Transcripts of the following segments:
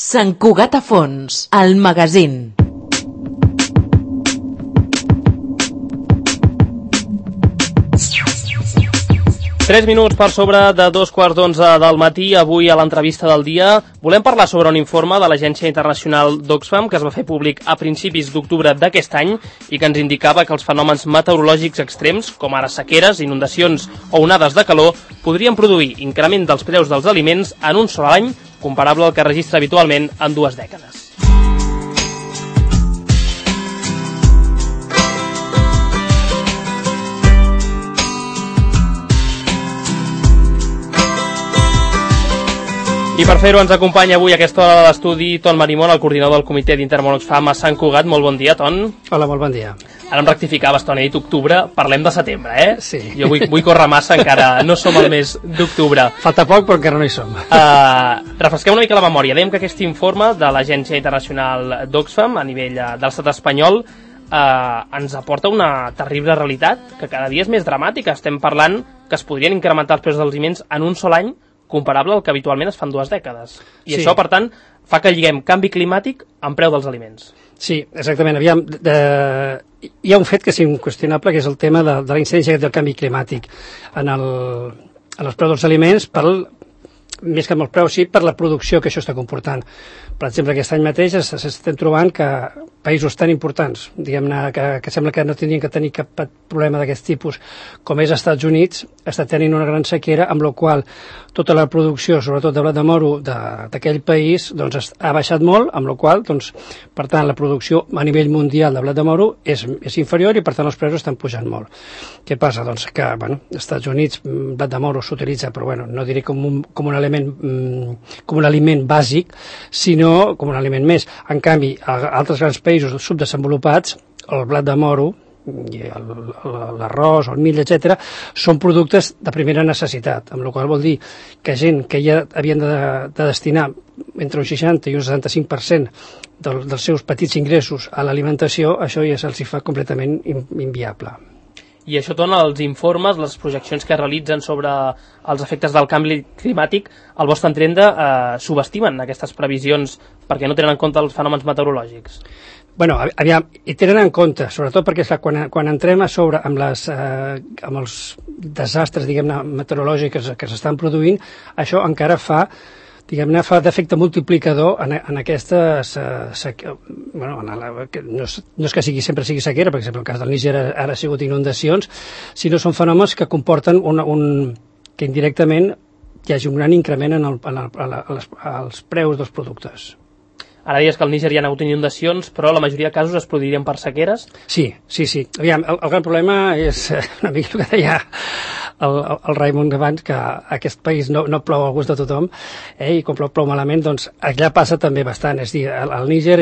Sant Cugat a Fons, el magazín. Tres minuts per sobre de 2:15 del matí. Avui a l'entrevista del dia volem parlar sobre un informe de l'Agència Internacional d'Oxfam que es va fer públic a principis d'octubre d'aquest any i que ens indicava que els fenòmens meteorològics extrems, com ara sequeres, inundacions o onades de calor, podrien produir increment dels preus dels aliments en un sol any, comparable al que registra habitualment en 2 dècades. I per fer-ho ens acompanya avui a aquesta hora de l'estudi Ton Marimón, el coordinador del comitè d'Intermón Oxfam a Sant Cugat. Molt bon dia, Ton. Hola, molt bon dia. Ara em rectificaves, Ton, he dit octubre, parlem de setembre, eh? Sí. Jo vull córrer massa, encara no som al mes d'octubre. Falta poc, però encara no hi som. Refresquem una mica la memòria. Dèiem que aquest informe de l'Agència Internacional d'Oxfam a nivell de l'estat espanyol ens aporta una terrible realitat que cada dia és més dramàtica. Estem parlant que es podrien incrementar els preus dels aliments en un sol any comparable al que habitualment es fa en 2 dècades. I això, per tant, fa que lliguem canvi climàtic amb preu dels aliments. Sí, exactament. Aviam, hi ha un fet que és inqüestionable, que és el tema de la incidència del canvi climàtic en els preus dels aliments, més que amb els preus, sí, per la producció que això està comportant. Per exemple, aquest any mateix estem trobant que països tan importants, diguem-ne, que sembla que no tindrien que tenir cap problema d'aquest tipus, com és als Estats Units, està tenint una gran sequera, amb la qual tota la producció, sobretot de blat de moro d'aquell país, doncs ha baixat molt, amb la qual, doncs, per tant, la producció a nivell mundial de blat de moro és inferior i, per tant, els preus estan pujant molt. Què passa? Doncs que, bueno, als Estats Units blat de moro s'utilitza, però, bueno, no diré com un aliment bàsic, sinó com un aliment més. En canvi, a altres grans països subdesenvolupats, el blat de moro, l'arròs, el mill, etc., són productes de primera necessitat, amb la qual vol dir que gent que ja havien de destinar entre un 60 i un 75% dels seus petits ingressos a l'alimentació, això ja se'ls fa completament inviable. I això dona els informes, les projeccions que realitzen sobre els efectes del canvi climàtic, al vostre entendre, subestimen aquestes previsions perquè no tenen en compte els fenòmens meteorològics? Bueno, aviam, hi tenen en compte, sobretot perquè quan entrem a sobre amb els desastres, diguem-ne, meteorològics que s'estan produint, això encara fa d'efecte multiplicador en aquestes... no és que sempre sigui sequera, per exemple, el cas del Níger ara ha sigut inundacions, sinó són fenòmens que comporten que indirectament hi hagi un gran increment als preus dels productes. Ara dius que al Níger hi ha hagut inundacions, però la majoria de casos es produirien per sequeres? Sí. Aviam, el gran problema és una mica el que deia el Raimon abans, que aquest país no plou al gust de tothom, i com plou malament, doncs allà passa també bastant. És a dir, al Níger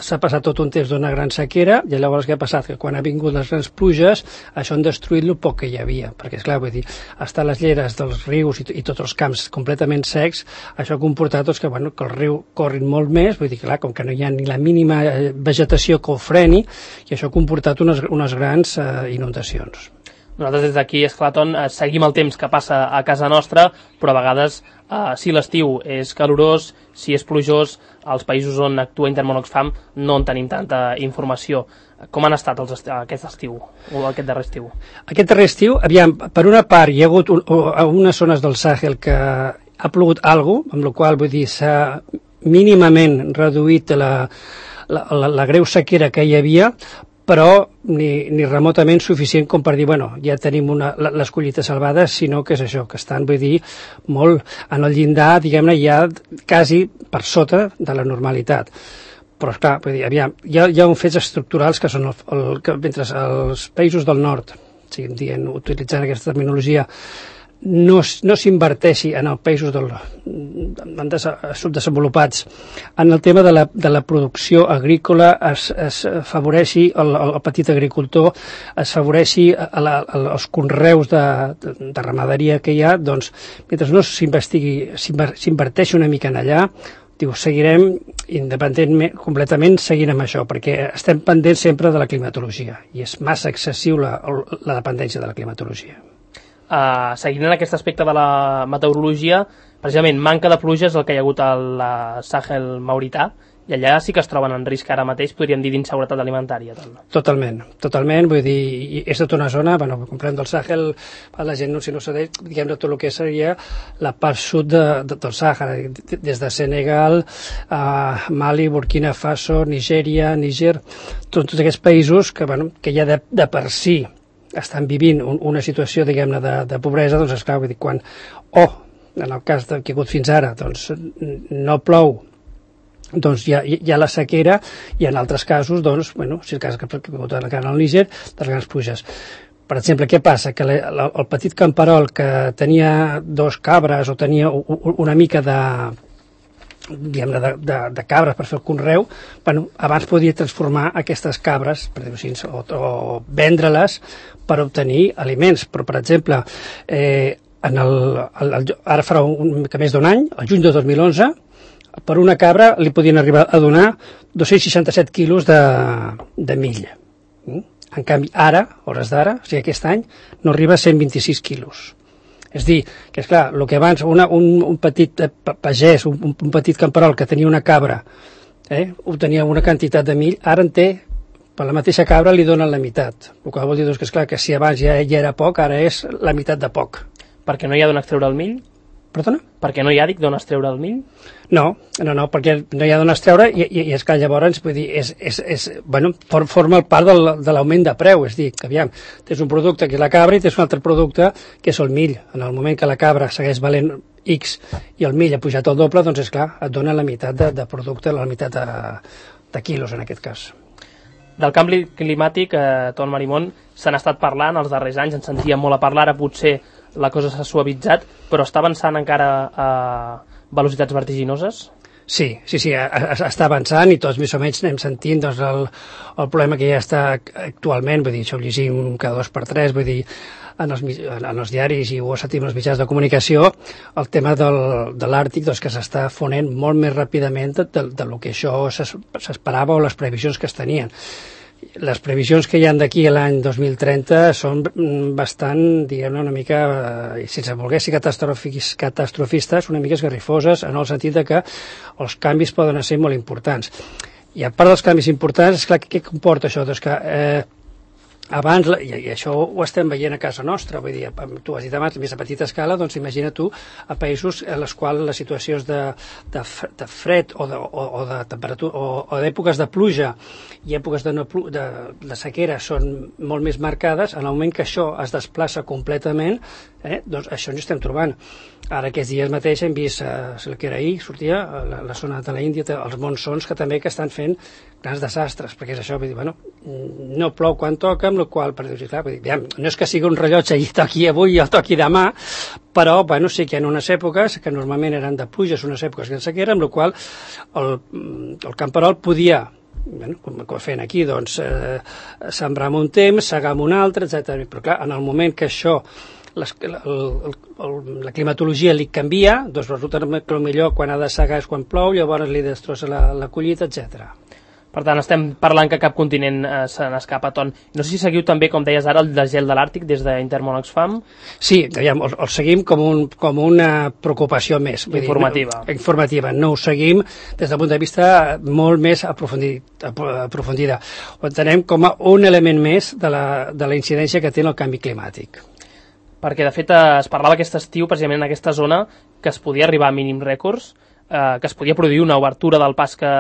s'ha passat tot un temps d'una gran sequera, i llavors què ha passat? Que quan ha vingut les grans pluges, això han destruït el poc que hi havia, perquè, esclar, vull dir, estar les lleres dels rius i tots els camps completament secs, això ha comportat que el riu corri molt més, vull dir, clar, com que no hi ha ni la mínima vegetació que ho freni, i això ha comportat unes grans inundacions. Nosaltres des d'aquí, esclar, Ton, seguim el temps que passa a casa nostra, però a vegades, si l'estiu és calorós, si és plujós, als països on actua Intermón Oxfam no en tenim tanta informació. Com han estat aquest estiu, o aquest darrer estiu? Aquest darrer estiu, aviam, per una part hi ha hagut unes zones del Sàhel que ha plogut alguna cosa, amb la qual, vull dir, s'ha mínimament reduït la greu sequera que hi havia, però ni remotament suficient com per dir, ja tenim les collites salvades, sinó que és això, que estan, vull dir, molt en el llindar, diguem-ne, ja quasi per sota de la normalitat. Però, esclar, vull dir, aviam, hi ha uns fets estructurals que són mentre els països del nord, utilitzant aquesta terminologia, no s'inverteixi en els països subdesenvolupats en el tema de la producció agrícola, es favoreixi el petit agricultor, es favoreixi els conreus de ramaderia que hi ha, doncs, mentre no s'inverteixi una mica en allà, seguirem independentment, completament seguint amb això, perquè estem pendents sempre de la climatologia, i és massa excessiu la dependència de la climatologia. Seguint en aquest aspecte de la meteorologia, precisament manca de pluja és el que hi ha hagut al Sàhel maurità, i allà sí que es troben en risc ara mateix, podríem dir, d'inseguretat alimentària. Totalment, vull dir, és tota una zona, comprem del Sàhel, la gent no sabeix, diguem-ne, tot el que seria la part sud del Sàhara, des de Senegal, Mali, Burkina Faso, Nigèria, Níger, tots aquests països que ja de per si estan vivint una situació, diguem-ne, de pobresa, doncs esclar, vull dir, quan, en el cas que ha hagut fins ara, doncs no plou, doncs hi ha la sequera, i en altres casos, doncs, si el cas que ha hagut al Níger, de les grans pluges. Per exemple, què passa? Que el petit camperol que tenia 2 cabres o tenia una mica de cabres per fer el conreu, abans podia transformar aquestes cabres, per dir-ho així, o vendre-les per obtenir aliments. Però, per exemple, ara farà una mica més d'un any, el juny de 2011, per una cabra li podien arribar a donar 267 quilos de mill. En canvi, ara, hores d'ara, o sigui, aquest any, no arriba a 126 quilos. És dir, que esclar, el que abans un petit pagès, un petit camperol que tenia una cabra, obtenia una quantitat de mill, ara en té, per la mateixa cabra li donen la meitat. El que vol dir que, esclar, que si abans ja era poc, ara és la meitat de poc. Perquè no hi ha d'on extreure el mill? Perdona? Perquè no hi ha, d'on extreure el mill? No, perquè no hi ha d'on extreure, i és que llavors, vull dir, forma part de l'augment de preu. És dir, que aviam, tens un producte que és la cabra i tens un altre producte que és el mill. En el moment que la cabra segueix valent X i el mill ha pujat el doble, doncs és clar, et dona la meitat de producte, la meitat de quilos en aquest cas. Del canvi climàtic, Ton Marimon, se n'ha estat parlant els darrers anys, ens sentíem molt a parlar, ara potser la cosa s'ha suavitzat, però està avançant encara a velocitats vertiginoses? Sí, està avançant, i tots més o menys anem sentint doncs, el problema que ja està actualment, vull dir, això ho llegim cada 2 per 3, vull dir, en els diaris i ho sentim en els mitjans de comunicació, el tema de l'Àrtic, doncs, que s'està fonent molt més ràpidament del que això s'esperava o les previsions que es tenien. Les previsions que hi ha d'aquí a l'any 2030 són bastant, diguem-ne, una mica, sense voler ser catastrofistes, una mica esgarrifoses, en el sentit que els canvis poden ser molt importants. I a part dels canvis importants, esclar, què comporta això? Doncs que abans, i això ho estem veient a casa nostra, vull dir, tu has dit abans, més a petita escala, doncs imagina tu a països en els quals les situacions de fred o de temperatura o d'èpoques de pluja i èpoques de sequera són molt més marcades. En el moment que això es desplaça completament, doncs això ens estem trobant. Ara aquests dies mateix hem vist, que era ahir, sortia a la zona de l'Índia, els monsons que també estan fent grans desastres, perquè és això, vull dir, no plou quan toca, amb la qual cosa, clar, no és que sigui un rellotge i toqui avui o toqui demà, però sí que hi ha unes èpoques que normalment eren de pluges, unes èpoques de sequera, amb la qual el camperol podia, com fent aquí, doncs, sembrar en un temps, segar en un altre, etc. Però clar, en el moment que això la climatologia li canvia, doncs resulta que el millor quan ha de segar és quan plou, llavors li destrossa la collita, etc. Per tant, estem parlant que cap continent se n'escapa, Ton. No sé si seguiu també, com deies ara, el desgel de l'Àrtic des d'Intermón Oxfam? Sí, el seguim com una preocupació més. Informativa. No ho seguim des del punt de vista molt més aprofundida. Ho entenem com a un element més de la incidència que té el canvi climàtic. Perquè, de fet, es parlava aquest estiu, precisament en aquesta zona, que es podia arribar a mínims rècords, que es podia produir una obertura del pas que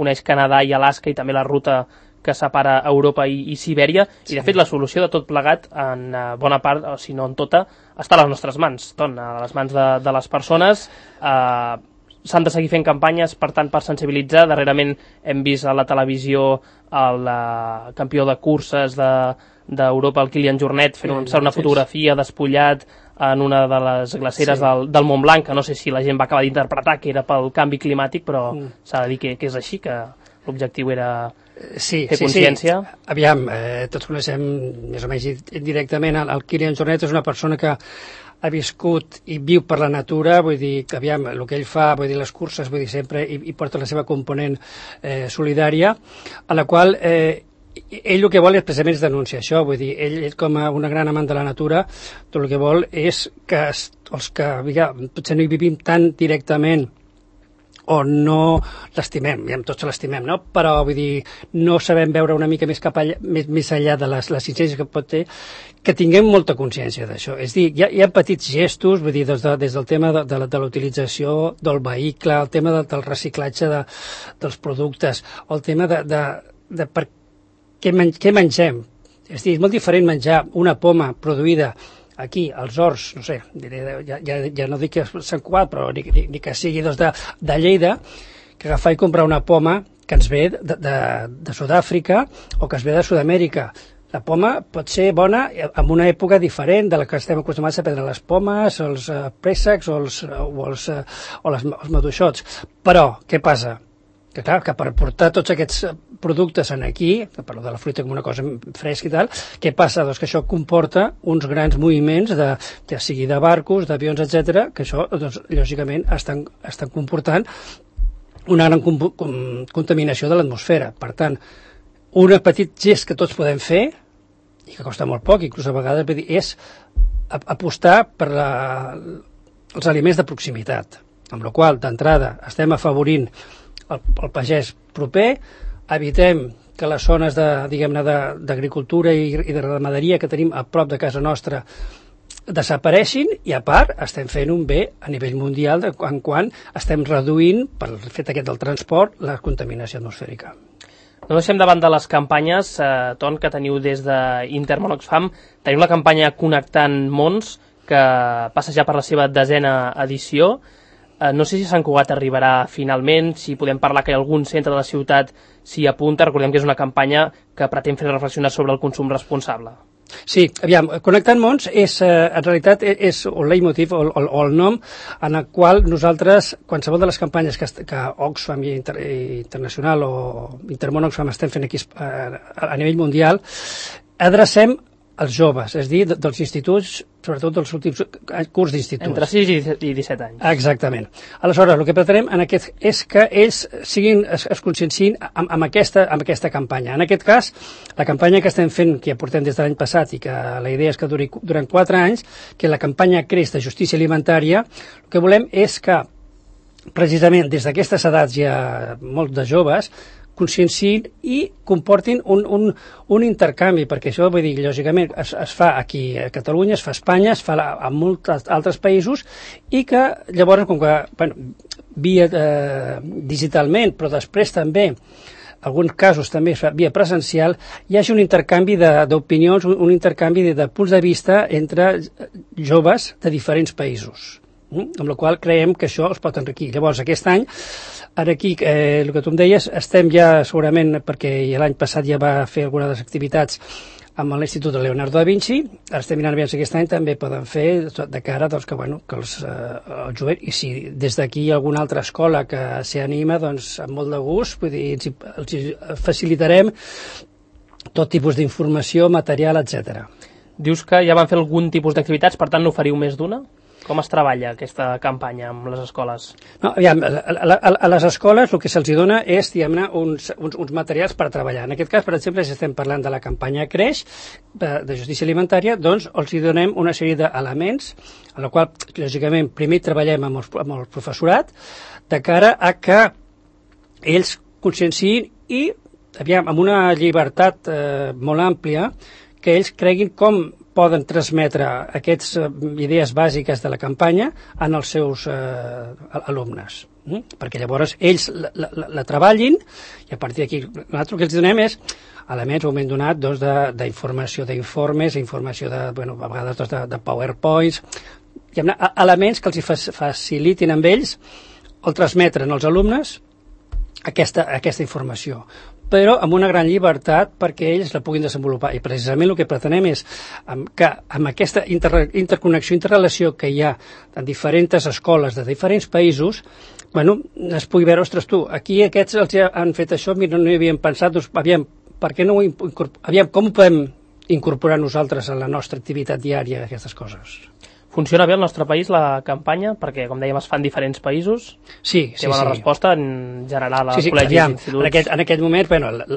uneix Canadà i Alaska i també la ruta que separa Europa i Sibèria, i de fet la solució de tot plegat, en bona part, o si no en tota, està a les nostres mans, a les mans de les persones. S'han de seguir fent campanyes, per tant, per sensibilitzar. Darrerament hem vist a la televisió el campió de curses d'Europa, el Kilian Jornet, fent una fotografia despullat en una de les glaceres del Mont Blanc, que no sé si la gent va acabar d'interpretar que era pel canvi climàtic, però s'ha de dir que és així, que l'objectiu era fer consciència. Sí. Aviam, tots coneixem més o menys directament el Kilian Jornet. És una persona que ha viscut i viu per la natura, vull dir que aviam, el que ell fa, vull dir les curses, vull dir sempre, i porta la seva component solidària, a la qual ell el que vol és precisament denunciar això, vull dir, ell com una gran amant de la natura, tot el que vol és que els que potser no hi vivim tan directament o no l'estimem, ja tots l'estimem, no? Però vull dir, no sabem veure una mica més cap allà, més enllà de les incidències que pot ter, que tinguem molta consciència d'això. És dir, hi ha petits gestos, vull dir, des del tema de la utilització del vehicle, el tema del reciclatge dels productes, el tema de per què mengem. És dir, és molt diferent menjar una poma produïda aquí, als horts, no sé, ja no dic que Sant Cugat, però ni que sigui de Lleida, que agafar i comprar una poma que ens ve de Sud-àfrica o que es ve de Sud-amèrica. La poma pot ser bona en una època diferent de la que estem acostumats a prendre les pomes, els préssecs o els maduixots. Però, què passa? Que clar, que per portar tots aquests productes aquí, parlo de la fruita com una cosa fresca i tal, què passa? Doncs que això comporta uns grans moviments, ja sigui de barcos, d'avions, etc, que això, doncs, lògicament, estan comportant una gran contaminació de l'atmosfera. Per tant, un petit gest que tots podem fer, i que costa molt poc, inclús a vegades, és apostar per els aliments de proximitat, amb la qual cosa, d'entrada, estem afavorint el pagès proper, evitem que les zones d'agricultura i de ramaderia que tenim a prop de casa nostra desapareixin, i a part estem fent un bé a nivell mundial en quant estem reduint, pel fet aquest del transport, la contaminació atmosfèrica. No deixem davant de les campanyes, Ton, que teniu des d'Intermón Oxfam. Teniu la campanya Connectant Mons, que passa ja per la seva 10ª edició. No sé si Sant Cugat arribarà finalment, si podem parlar que algun centre de la ciutat s'hi apunta. Recordem que és una campanya que pretén fer reflexionar sobre el consum responsable. Sí, aviam, Connectant Mons en realitat és el leitmotiv o el nom en el qual nosaltres, qualsevol de les campanyes que Oxfam i Internacional o Intermón Oxfam estem fent aquí a nivell mundial, adrecem als joves, és a dir, dels instituts, sobretot dels últims curs d'instituts. Entre 6 i 17 anys. Exactament. Aleshores, el que pretenem és que ells es conscienciïn amb aquesta campanya. En aquest cas, la campanya que estem fent, que ja portem des de l'any passat i que la idea és que duri durant 4 anys, que la campanya Creix de Justícia Alimentària, el que volem és que, precisament, des d'aquestes edats ja molt de joves, conscienciïn i comportin un intercanvi, perquè això, vull dir, lògicament es fa aquí a Catalunya, es fa a Espanya, es fa a molts altres països, i que llavors, com que, via digitalment, però després també, en alguns casos també via presencial, hi hagi un intercanvi d'opinions, un intercanvi de punts de vista entre joves de diferents països, amb la qual creiem que això els pot enriquir. Llavors, aquest any, aquí, el que tu em deies, estem ja segurament, perquè l'any passat ja va fer algunes activitats amb l'Institut de Leonardo da Vinci, ara estem mirant bé si aquest any també poden fer de cara doncs, que els joves, i si des d'aquí hi ha alguna altra escola que s'hi anima, doncs amb molt de gust, vull dir, els facilitarem tot tipus d'informació, material, etc. Dius que ja van fer algun tipus d'activitats, per tant no oferiu més d'una? Com es treballa aquesta campanya amb les escoles? No, aviam, a les escoles el que se'ls dona és, diguem-ne, uns materials per treballar. En aquest cas, per exemple, si estem parlant de la campanya Creix de Justícia Alimentària, doncs els donem una sèrie d'elements, en la qual, lògicament, primer treballem amb el professorat, de cara a que ells conscienciïn i, aviam, amb una llibertat molt àmplia, que ells creguin com poden transmetre aquestes idees bàsiques de la campanya en els seus alumnes. Perquè llavors ells la treballin, i a partir d'aquí nosaltres el que els donem és elements, un moment donat, d'informació d'informes, informació a vegades de PowerPoints, elements que els facilitin amb ells el transmetren als alumnes aquesta informació, però amb una gran llibertat perquè ells la puguin desenvolupar. I precisament el que pretenem és que amb aquesta interconnexió, interrelació que hi ha en diferents escoles de diferents països, es pugui veure, ostres, tu, aquí aquests els han fet això, no hi havíem pensat, doncs, aviam, per què no ho com ho podem incorporar nosaltres a la nostra activitat diària, aquestes coses? Funciona bé al nostre país la campanya? Perquè, com dèiem, es fan diferents països. Sí. Té bona resposta en general a col·legis i instituts. En aquest moment,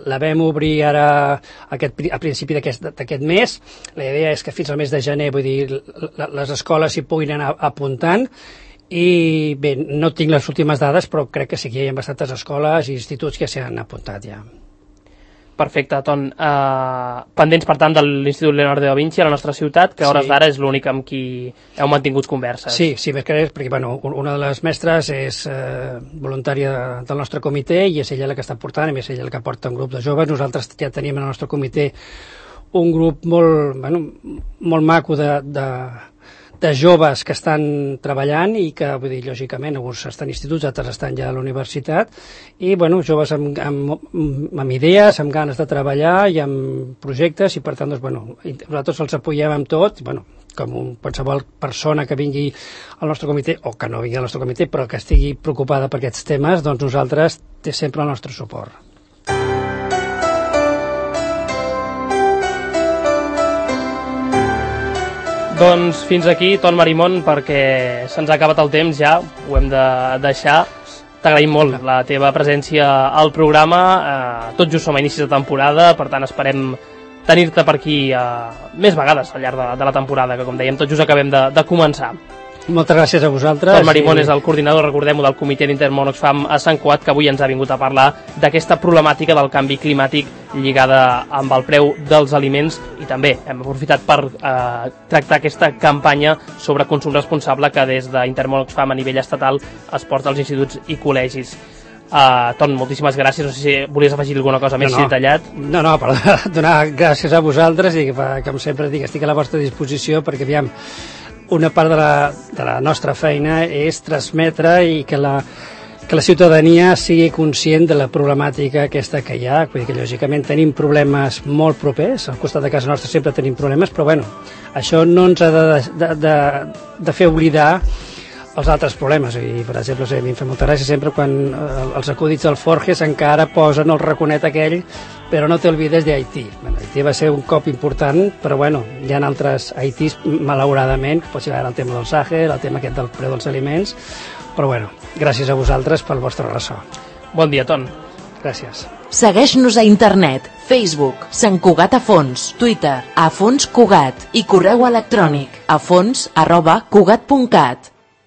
la vam obrir ara a principi d'aquest mes. La idea és que fins al mes de gener, vull dir, les escoles s'hi puguin anar apuntant. I bé, no tinc les últimes dades, però crec que sí que hi ha bastantes escoles i instituts que s'hi han apuntat ja. Perfecte, Ton. Pendents, per tant, de l'Institut Leonardo da Vinci a la nostra ciutat, que a hores d'ara és l'únic amb qui heu mantingut converses. Sí, perquè una de les mestres és voluntària del nostre comitè i és ella la que està portant, a més ella la que porta un grup de joves. Nosaltres ja tenim en el nostre comitè un grup molt maco de joves que estan treballant i que, vull dir, lògicament, alguns estan a instituts, altres estan ja a la universitat, i, joves amb idees, amb ganes de treballar i amb projectes, i per tant, nosaltres els apoyem amb tot, com qualsevol persona que vingui al nostre comitè, o que no vingui al nostre comitè, però que estigui preocupada per aquests temes, doncs nosaltres té sempre el nostre suport. Doncs fins aquí, Ton Marimon, perquè se'ns ha acabat el temps ja, ho hem de deixar. T'agraïm molt la teva presència al programa, tot just som a inicis de temporada, per tant esperem tenir-te per aquí més vegades al llarg de la temporada, que com dèiem tot just acabem de començar. Moltes gràcies a vosaltres. Ton Marimon és el coordinador, recordem-ho, del Comitè d'Intermón Oxfam a Sant Cugat, que avui ens ha vingut a parlar d'aquesta problemàtica del canvi climàtic lligada amb el preu dels aliments, i també hem aprofitat per tractar aquesta campanya sobre consum responsable que des d'Intermón Oxfam a nivell estatal es porta als instituts i col·legis. Ton, moltíssimes gràcies. No sé si volies afegir alguna cosa més detallat. No, per donar gràcies a vosaltres i que, com sempre dic, estic a la vostra disposició perquè, aviam, una part de la nostra feina és transmetre i que la ciutadania sigui conscient de la problemàtica aquesta que hi ha. Vull dir que, lògicament, tenim problemes molt propers, al costat de casa nostra sempre tenim problemes, però això no ens ha de fer oblidar els altres problemes. I, per exemple, a mi em fa molta gràcia sempre quan els acudits del Forges encara posen el raconet aquell, però no te olvides de Haití. Haití va ser un cop important, però hi ha altres Haitis, malauradament, pot ser el tema del Sàhel, el tema aquest del preu dels aliments, però gràcies a vosaltres pel vostre ressò. Bon dia, Ton. Gràcies. Segueix-nos a internet, Facebook, Sant Cugat a Fons, Twitter, a Fons Cugat i correu electrònic a fons@cugat.cat.